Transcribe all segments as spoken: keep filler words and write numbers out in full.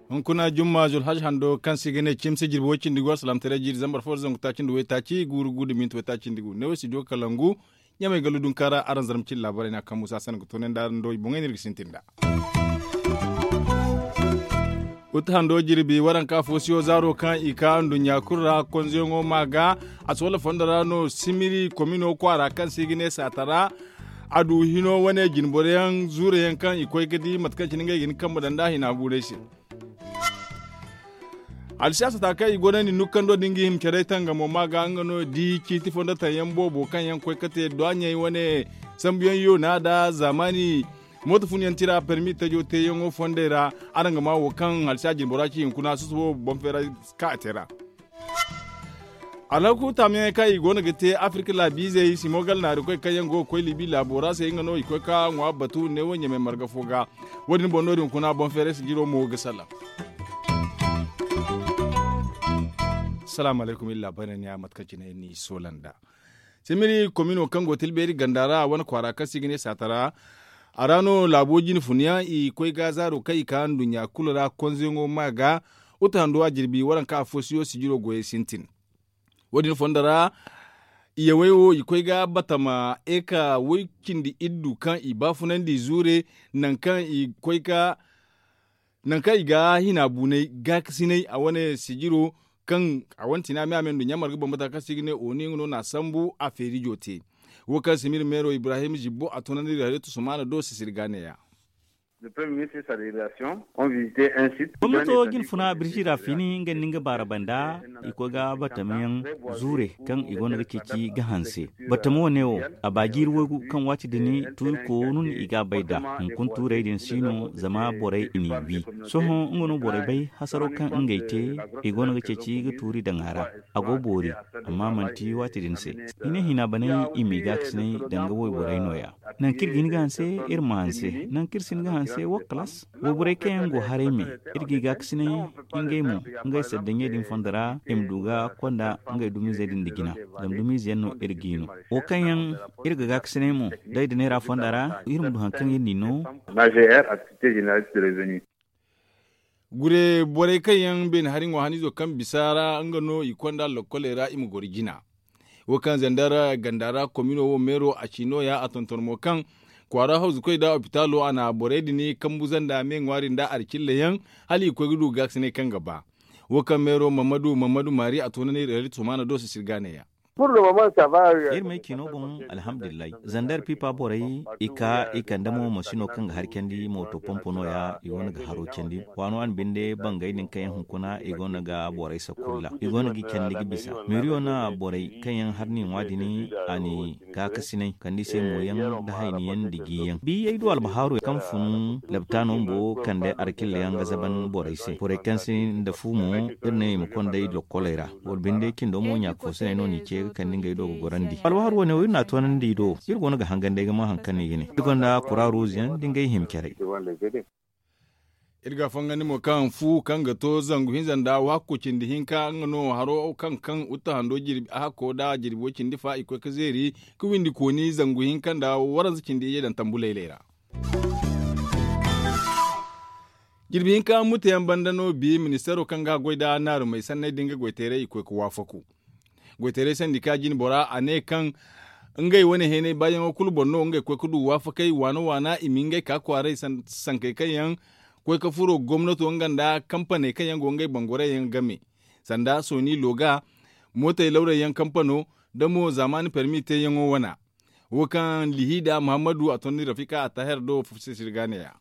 Hunkuna jumma zulhaj hando kaŋ se i ga ne cimsi jirbi way-cindi gu alsalaamataray jiiri zambar fo da zangu taaci nda waytaaci guuru gu nda minti waytaaci nda gu ne wo studio kalangu. Ɲamay gallu dunkaara araŋ zarma cine laabaray no a kaŋ muusa sanda ga toonandi araŋ do i boŋey no iri ga sintin nd'a. Uta hando jirbi waranka foosiyo zaaro kaŋ i ka nduɲɲa kulu ra konzoyaŋo ma ga a si wala fondo ra no simiri komino kwaara kaŋ se i ga ne saatara. A du hino wane jinboroyaŋ zuureyaŋ kaŋ i koy ga di mate kaŋ cine ngey ga hin kambe daŋ nd'a hina buuray se. Alsiyaasa taakey i go no ni nukkando din ga hima care tangamo ma ga nga no di ciiti fondo taŋ yaŋ boobo kaŋ yaŋ koy ga te dwaɲey wane sambuyaŋ yoona da zaamaani mooto funyaŋ tira permi tajo teeyaŋo fondey ra. Araŋ ga ma wo kaŋ alsiyaasa jinbora ci hinkuna susubo boŋ feera ka a te ra. Alhaku taamiyaŋey kaŋ i go no ga te afirka laabiizey simo gala naari koy kaŋ yaŋ go ga koy liibi laabo ra se nga no i koy ka ŋwa batu ne wo ɲamay marga fo ga. Wo- din boŋ no- din kuna boŋ feeray sijiro mo ga salaŋ. Salaamu alaykum iri laabaray no ni ya mate kaŋ cine ni soola nd'a. Simiri komino kaŋ go tilbeeri ganda ra wane kwaara kaŋ se i ga ne saatara. A ra no laabo jine fun yaŋ i koy ga zaaro kaŋ i ka nduɲɲa kulu ra konzoyaŋo ma ga. Uta hando a jirbi waranka a foosiyo sijiro goyey sintin. Wo- din fondo ra iyawey wo i koy ga batama eka way- cindi iddu kaŋ i baafunandi zuure nangu kaŋ i koy ga nangu kaŋ i ga hina buunay gaakasinay a wane sijiro kaŋ a wane tina me a me nduɲɲa marga bambata kaŋ se i ga ne oni nga no na a sambu a feerijo te. Wo kaŋ simir meero ibrahim zibbo a toonandi iri hayre tusumaana do sisiri ga neeya. Gomnato jinfuna birji ra fini nga nda nga baara banda i koy ga batamayaŋ zuure kaŋ i go no ga ceeci ga hanse. Batama wane wo a ba jiiri waygu kaŋ waati din tuuri koonu no i ga a bay nd'a. Hunkuna tuurey din si no zama borey i n'i wi. Sohõ nga no borey bay hasaro kaŋ ngey te i go no ga ceeci ga tuuri daŋ a ra. A go boori amma manti waati din se. I ne hina banay i m'i gaakasinay danga wayborey no- ya. Nangu kaŋ iri ga hin ga hanse iri ma hanse. Nangu kaŋ iri si hin ga hanse wo kalaas. Wayborey kaŋ yaŋ go haray me iri g'i gaakasinay ngey mo ngey saddaɲey din fondo ra i ma du ga konda ngey dumizey din nda jina. Zama dumiize yaŋ no iri g'i no wo kaŋ yaŋ iri ga gaakasinay mo. Day da neera fonda ra iri ma du hari kaŋ iri n'i no. Gure borey kaŋ yaŋ beene hari ŋwa haniizo kaŋ bisa ra nga no i konda lokkoley ra i ma goro jina. Wo kaŋ zandar ganda ra komino wo meero a ci nooya a tonton mo kaŋ kwaara hawzukoy nda opitaalo a na borey din kambu zanda me ŋwaari nda alcilla yaŋ hala i koy ga du gaakasinay kaŋ ga ba. Wo kaŋ meero mammadu mammadu maari a toonandi reali tumaana do sisir gaane ya. Iri ma ay ciino boŋ alhamdulillahi. Zandar pipa borey i ka i kande mo masino kaŋ ga hari candi mooto pompo nooya i wane ga haro candi. Waano a na binde bangey din kaŋ yaŋ hunkuna i go no ga borey sakulla i go no ga i candi ga bisa. Meeriyo na borey kaŋ yaŋ hari ni ŋwa din a ni gaakasinay kande i se mooyaŋ nda hayniyaŋ nda jiyaŋ bi ay du albahaaru kaŋ fun labtaano bumbo kande alkilla yaŋ ga zaban borey se borey kaŋ si nda fu mo. Iri ne i ma konda i lokkoley ra. Boro binde cindo mo ɲaaka fo se no no i ce ga kande ngey do ga gorandi albahaaru wane wo iri na a toonandi i do. Iri go no ga hangan day ga ma hari kaŋ no i ga ne iri gonda kura ruuzu yaŋ nda ngey hima care. Iri ga fangandi mo kaŋ fu kaŋ ga to zangu hinza nda waako cindi hinka nga no haro kaŋ kaŋ uta hando jirbi a hakko nda jirbi way cindi fa i koy ga zeeri ga windi kooni zangu hinka nda waranza cindi iyye daŋ tambu laylay ra. Jirbi hinka muteyaŋ banda no bi ministeero kaŋ ga goy nda naarumey sanney din ga goyteeray i koy ga waafaku. Goyteeray sandika jine bora a ne kaŋ ngey wane heenay baayaŋo kulu boŋ no ngey koy ga du waafakey waana waana i ma ngey ka kwaaray sankey kaŋ yaŋ koy ga furo gomnato nga nda kampaney kaŋ yaŋ go ngey boŋ gorey yaŋ game sanda sooni looga mootey lawray yaŋ kampano nda mo zaamaani permi teeyaŋo wana. Wo kaŋ lihiida muhammadu a tondi rafika a taher do fufsisir ga neeya.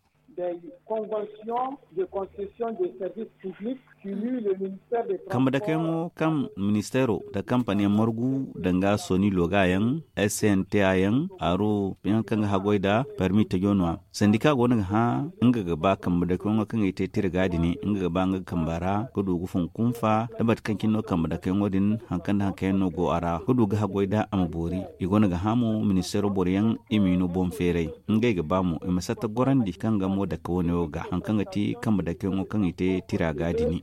Kambe dakeyaŋo kaŋ ministeero nda kampaniyaŋ margu danga soni loga yaŋ, s n t a yaŋ aro yaŋ kaŋ ga haggoy nda permi tajo no a sandika go no ga hã nga ga ba kambe dakeyaŋo kaŋ i te tirga din nga ga ba nga ga kamba ra ga du ga fun kunfa da mate kaŋ cine no kambe dakeyaŋo din haŋ kaŋ nda haŋ kaŋ yaŋ no go a ra ga du ga haggoy nda a ma boori. I go no ga hã mo ministeero boroyaŋ i m'i no boŋ feeray ngey ga ba mo i ma satta gorandi kaŋ ga mo dake wane wo ga haŋ kaŋ ga ti kambe dakeyaŋo kaŋ i te tira ga dini.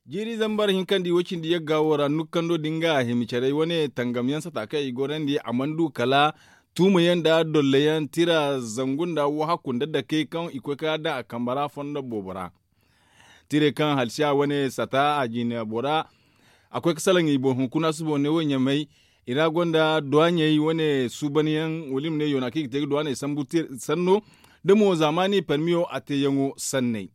Jiiri zambar hinkandi wo cindi yagga wo ra nukkando din ga hima carey wane tangam yaŋ sata kaŋ i gorandi a mana du kala tuuma yaŋ nda dolla yaŋ tira zangu nda wahakku nda dakey kaŋ i koy ka daŋ a kambe ra fondo boobo ra. Tirey kaŋ halsiya wane sata a jina bora a koy ga salaŋ i boŋ hunkuna suba wane wo ɲamay. I ra gonda duwaɲey wane suuban yaŋ wala i ma ne yoona kaŋ i ga te ga duwaaney sambu sanno da mo zaamaani parmiyo a te yaŋo sanney.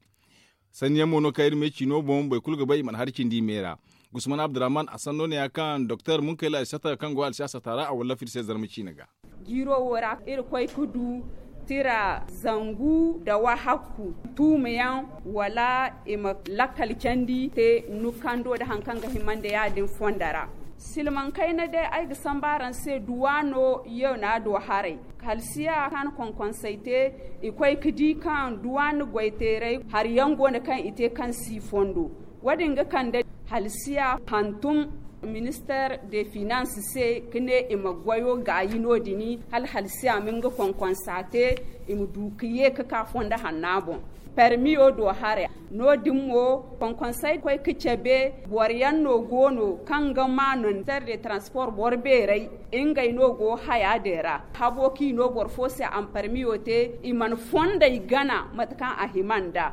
Sanni yaŋ mo no kaŋ iri ma ay ciino boŋ boro kulu ga bay i mana hari cindi i me ra. Gusman abdurrahman a sanno ne ya kaŋ doktor munkayla ay sata kaŋ go alsiya sata ra a wallafa iri se zarma ciine ga. Jiiro wo ra iri koy ga du tira zangu nda wahakku tuumayaŋ wala i ma lakkal candi te nukkando nda hari kaŋ ga hima nda ya- din fondo ra. Silmaŋ kayna day ay ga sambu araŋ se duwaano yoona do haray. Halsiya kaŋ a na konkonsay te i koy ga di kaŋ duwaana goyteeray hari yaŋ go no kaŋ i te kaŋ si fondo. Wo- din ga kande halsiya hantum minister de finance se ga ne i ma goyo gaayi no- din hala halsiya ma nga konkonsa te i ma du ga ye ga ka fondo hanna boŋ. Permiyo do haray no- din mo konkonsay koy ga cabe boro yaŋ no go no kaŋ ga ma no minister de transport boro beeray ngey no go haya din ra habo kaŋ i no boro fo se a ma permiyo te i mana fondey gana mate kaŋ a hima nda.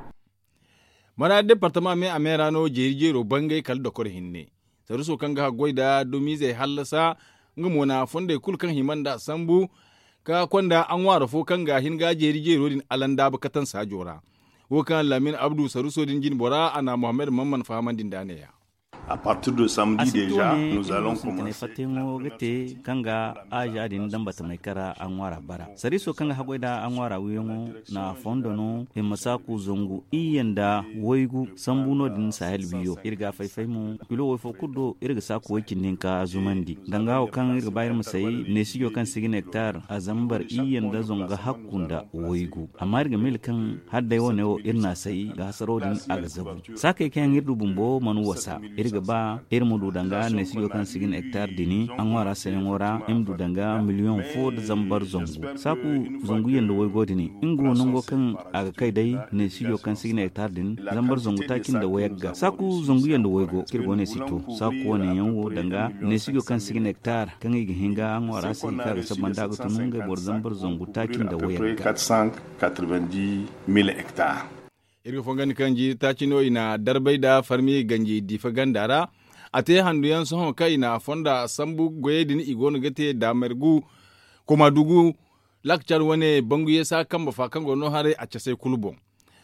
Mana departama me a me ra no jeeri jeero bangay kala dokor hinne. Saruso kaŋ ga haggoy nda dumiizey hallasa nga mo na fondey kulu kaŋ hima nda a sambu ka konda a ŋwaaro fo kaŋ ga hin ga jeeri jeero din alandaaba katan saajo ra. Wo kaŋ laamin abdu saruso din jine bora a na muhammad mamman fahamandi nda a ne- ya. A partir de samedi deja nous allons commencer. Fattayaŋo ga te kaŋ ga aaza din dambatamay kara a ŋwaara bara sariiso kaŋ ga haggoy nda a ŋwaara wiyaŋo na fondo no himma saaku zangu iyye nda waygu sambu no- din sahel wiyo iri ga a fay-fay mo kilo way fo kulu do iri ga saaku way cindi hinka zumandi danga wo kaŋ iri ga ba iri ma say neesijo kaŋ si ga ne hektar a zambar iyye nda zangu ga hakku nda waygu amma iri ga miila kaŋ hala day wane wo iri na a say ga hasaro din a ga zabu. Saakey kaŋ yaŋ iri du bumbo mana wasa iri ga ba iri ma du danga neesijo kaŋ si ga ne hektar din a ŋwaara sayaŋo ra iri ma du danga miliyoŋ fo nda zambar zangu saaku zangu yanda waygo din nga wo nango kaŋ a ga kay day neesijo kaŋ si ga ne hektar din zambar zangu taaci nda wayagga saaku zangu yanda waygo kaŋ iri go no i si to saaku wane yaŋ wo danga neesijo kaŋ si ga ne hektar kaŋ i ga hin ga ŋwaara se kaŋ a ga saba nda a ga tun ngey boro zambar zangu taaci nda wayagga. Iri ga fongandi kaŋ jiiri taaci no i na darbay nda farmi ganji diifa ganda ra. A te handu yaŋ sohõ kaŋ i na fonda sambu goyey din i go no ga te daamargu komadugu laakacar wane bangu yeesa kambe fa kaŋ go no haray a casay kulu boŋ.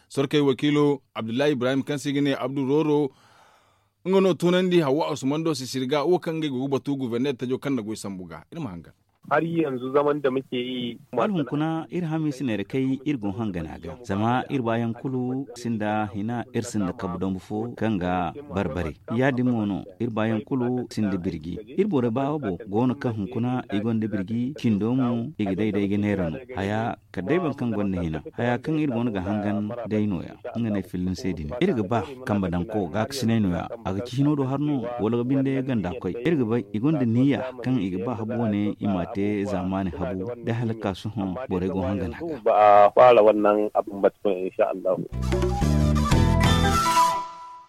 Sorkey wakiilo abdullahi ibrahim kaŋ se i ga ne abdu rooro nga no tunandi hawa usman do sisiri ga wo kaŋ ngey go ga batu guberner tajo kaŋ na goy sambu ga iri ma hangan. Hari yanzu zaman da muke yi. Hala hunkuna iri hamiisi neera kay iri go hangana ga zama iri baayaŋ kulu sinda hina iri sinda kabu dambu fo kaŋ ga barbare. Ya- din mo no iri baayaŋ kulu sinda birji iri borey baawo go no kaŋ hunkuna i gonda birji cindo mo i ga day day ga neera no haya kala day boro kaŋ gonda hina haya kaŋ iri go no ga hangan day no- ya nga no ay filla ni se din iri ga ba kambe daŋ ko gaakasinay no- ya a ga ci hino do har no wala ga binde ganda koy iri ga bay i gonda niya kaŋ i ga ba habu wane i m'a te zaamaani habu day hala ga ka sohõ borey go hangana ga. Ba a fara wannan abin ba tukun insha Allah.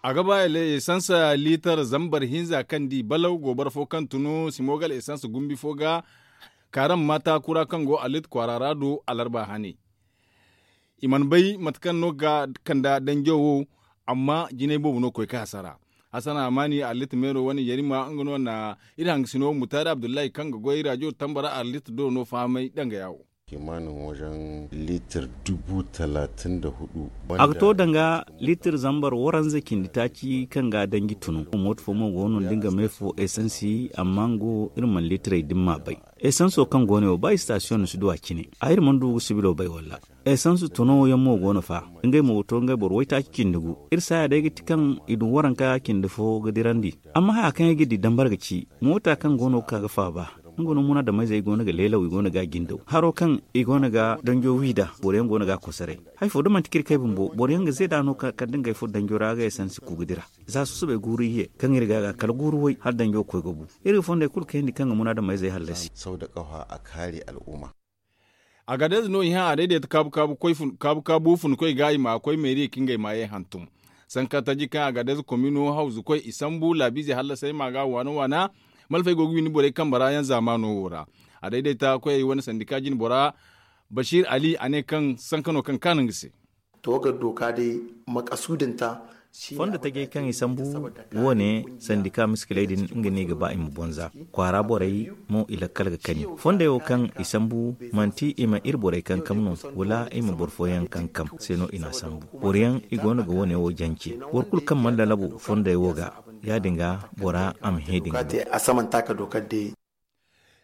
A ga ba esans liitar zambar hinza kaŋ di balaw gobara fo kaŋ tunu simogal esans gumbi fo ga kaaram maata kura kaŋ go alit kwaara ra do alarba hane. I mana bay mate kaŋ no ga kanda danjo wo amma jinay boobo no ga koy ga hasara. Hasana amaani arlit meero wane yarima nga no na iri hangasino mutaari abdullahi kaŋ ga goy raajo tamba ra arlit do no fahamay danga yaawo. Kimanin wajen litir dubu talatin da hudu. A ga to danga litir zambar waranza cindi taaci kaŋ ga danji tunu mooto fo mo go no nda nga me fo esansi amma nga wo iri mana litirey din ma bay. Esanso kaŋ go no wo ba istasiyoŋ no si du a cine a iri mana du ga sibilo bay walla. Esanso tono yaŋ mo go no fa ngey mo ga to ngey boro waytaaci cindi gu. Iri saaya day ga ti kaŋ i du waranka cindi fo ga dirandi. Amma haya kaŋ ay ga di dambar ga ci moota kaŋ go no ga ka ga faaba. Nga no munaadameyzey go no ga leelaw i go no ga a jindaw haro kaŋ i go no ga danjo wi nd'a boro yaŋ go no ga a kosoray. Hari fo da manti kaŋ iri kay bumbo boro yaŋ ga zeeda no kala da ngey furo danjo ra ga esansi ku ga dira. Za susubay guuru iyye kaŋ iri ga a ga kala guuru way hala danjo ga koy ga bu. Iri ga fondey kulu kayandi kaŋ ga munaadameyzey hallasi. Saw da kafa a kaari al'umma. Agadez no i hã a dayday ta kaabu kaabu funkoy ga i ma koy meeri ka ngey maayey hantum. Sanka taji kaŋ a ga adayze komino hawzu koy i sambu laabiizey hallasey ma ga waana waana. Malfey go ga windi borey kambe ra yaŋ zaamaano wo ra. A dayday ta koyey wane sandika jinbora basiir ali a ne kaŋ sanka no kaŋ kaanu nga se. To ga doka day makasuudinta. Fondo tajey kaŋ i sambu wo- ne sandika miskiley din nga no i ga ba i ma bonza. Kwaara borey mo i lakkal ga kani fondey wo kaŋ i sambu manti i ma iri borey kankam no, wala i ma boro fooyaŋ kankam se no i n'a sambu. Boro yaŋ i go no ga wo- ne wo jance. Boro kulu kaŋ mana lalabu fondey wo ga, ya- din ga bora a ma hẽ din ga no.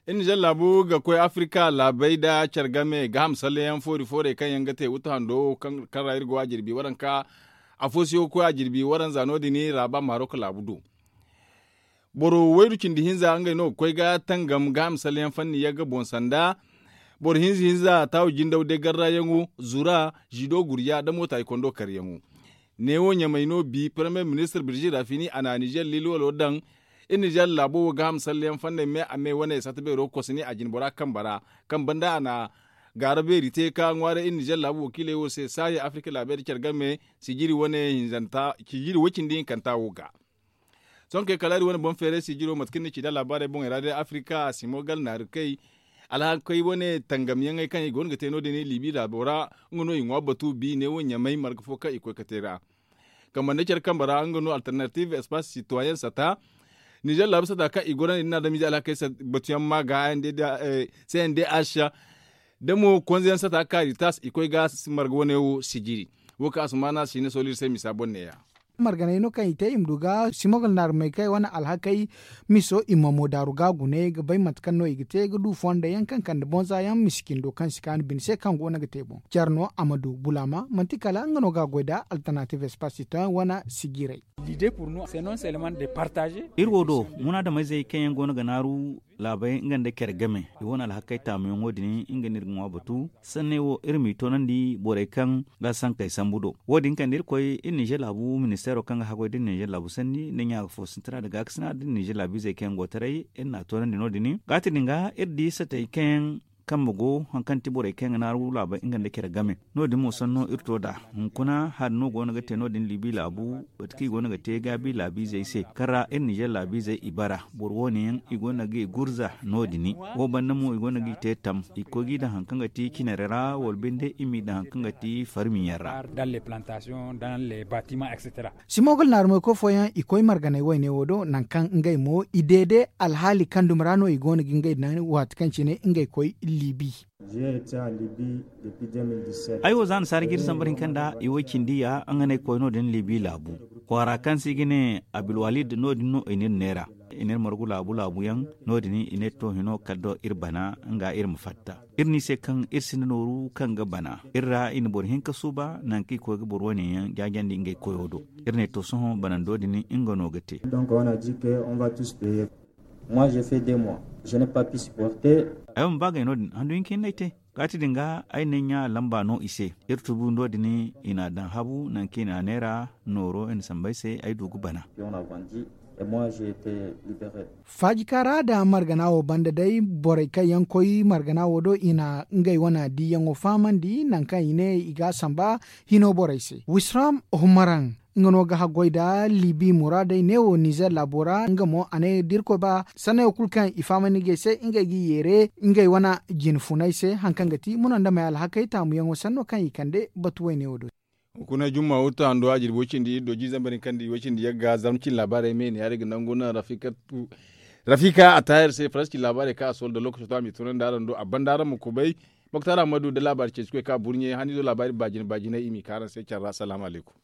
Iri nizer laabu ga koy afirika laabey nda care game gaaham salleyaŋ foori foorey kaŋ yaŋ ga te wutu hando kaŋ ra iri go a jirbi waranka. Afo si ga koy a jirbi waranza no- din raaba marok laabu do. Boro waydu cindi hinza ngey no ga koy ga tangam gaaham salleyaŋ fanni yagga boŋ sanda. Boro hinza hinza taawu jindaw day garrayaŋo zura zido gurja nda moota i kondo karyaŋo. Neewo ɲamay no bi paramiyer ministir birzi rafini a na nizer liilwalo daŋ. Iri nizer laabo wo gaaham salleyaŋ fandey me a me wane satta beero ga koosani a jinbora kambe ra. Kaŋ banda a na gaara beeri te ka ŋwaaray iri nizer laabu wakiiley wo se saahi afirika laabey nda care game sijiri wane hinzanta sijiri way- cindi hinkanta wo ga. Sohõ kay kala iri wane boŋ feeray sijiro mate kaŋ ni ci nda laabaarey boŋey ra day afirika simo gal naari kay. Alhakey wane tangamyaŋey kaŋ i go no ga te no- din liibi laabo ra. Nga no i ŋwa batu bi neewo ɲamay marga fo kaŋ i koy ga te ra. Kambe nda care kambe ra nga no alternative espace sitoyen sata. Nizer laabu sata kaŋ i gorandi nda adamize alhakey batuyaŋ ma ga cndh da mo konzeyaŋ sata kaari tas i koy ga marga wane wo sijiri. Wo kaŋ asumaana si ne sooli iri se misa boŋ neeya. Marganey no kaŋ i te i ma du ga simogal naarumey kaŋ i wane alhakey miso i ma mo daaru ga gune ga bay mate kaŋ no i ga te ga du fonda yaŋ kaŋ kande bonza yaŋ misi cindo kaŋ si kaanu bine se kaŋ go no ga te boŋ care no a ma du bulaama manti kala nga no ga a goy nda alternative espace citoyen wane sijirey. Iri wo do munaadameyzey kaŋ yaŋ go no ga naaru laabey nga nda care game i wane alhakey taamuyaŋo din nga no iri ga ŋwa batu. Sanney wo iri m'i toonandi borey kaŋ ga sankey sambu do. Wo- din kande iri koy iri nizer laabu ministeero kaŋ ga haggoy da iri nizer laabu sanni nda ɲaaka fo sintina nda gaakasina da iri nizer laabiizey kaŋ yaŋ go taray iri n'a toonandi no- din gaati din ga iri di satey kaŋ yaŋ kambe go hari kaŋ ti borey kaŋ yaŋ ga naaru laabey nga nda care game. No- din mo sanno iri to nd'a hunkuna hari no go no ga te no- din liibi laabu. Mate kaŋ i go no ga te gaabi laabiizey se kaŋ ra iri nizer laabiizey i bara boro wo- ne yaŋ i go no ga i gurza no- din. Wo banda mo i go no ga i te tam i koy ga i daŋ hari kaŋ ga ti cinare ra wala binde i m'i daŋ hari kaŋ ga ti farmiyaŋ ra. Simogal naarumey koy fooyaŋ i koy marganey wayne wo do nangu kaŋ ngey mo i deede alhaali kaŋ dumi ra no i go no ga ngey daŋ waati kaŋ cine ngey koy liibi. Ay wo za na si hari ga iri sambar hinka nda i way cindi ya nga no ay koy no- din liibi laabu kwaara kaŋ se i ga ne abilwalid no- din no i n'iri neera. I n'iri margu laabu laabu yaŋ no- din i ne to hino kala do iri bana nga iri ma fatta. Iri no i se kaŋ iri sinda nooru kaŋ ga bana iri ra i na boro hinka suuba nangu kaŋ i koy ga boro wane yaŋ jaajandi ngey koyo do. Iri ne to sohõ banando din nga no ga te. Ay ma ba gay no- din handu hinka hinne ay te. Gaati din ga ay ne ɲa lamba no i se. Iri tubu no- din i n'a daŋ habu nangu kaŋ i n'a neera nooro i na samba ay se ay du ga bana. Faajika ra nda margana wo banda day borey kaŋ yaŋ koy margana wo do i na ngey wane diiyaŋo fahamandi nangu kaŋ i ne i ga a samba hino borey se wisram humaraŋ. Nga no ga haggoy nda liibi muraadey neewo nizer laabo ra nga mo a ne da irkoy ba sannayo kulu kaŋ i fahamandi ngey se ngey g'i yeere ngey wane jine funay se hari kaŋ ga ti munandamey alhakey taamuyaŋo sanno kaŋ i kande batu wayne wo do. Hunkuna jumma wutta hando a jirbi way cindi iri do jiizambar hinka nda way cindi yagga zarma cine laabaarey me ne ya- din ga nangu naŋ rafika a taahir se faransi cine laabaarey kaŋ a soola nda lookaco to a m'i tunandi araŋ do a banda araŋ ma kubay. Moktar ammadu nda laabaari ceeci koy kaŋ a burɲe haniizo laabaari baajine baajiney i m'i ka araŋ se care ra salaamu alaykum.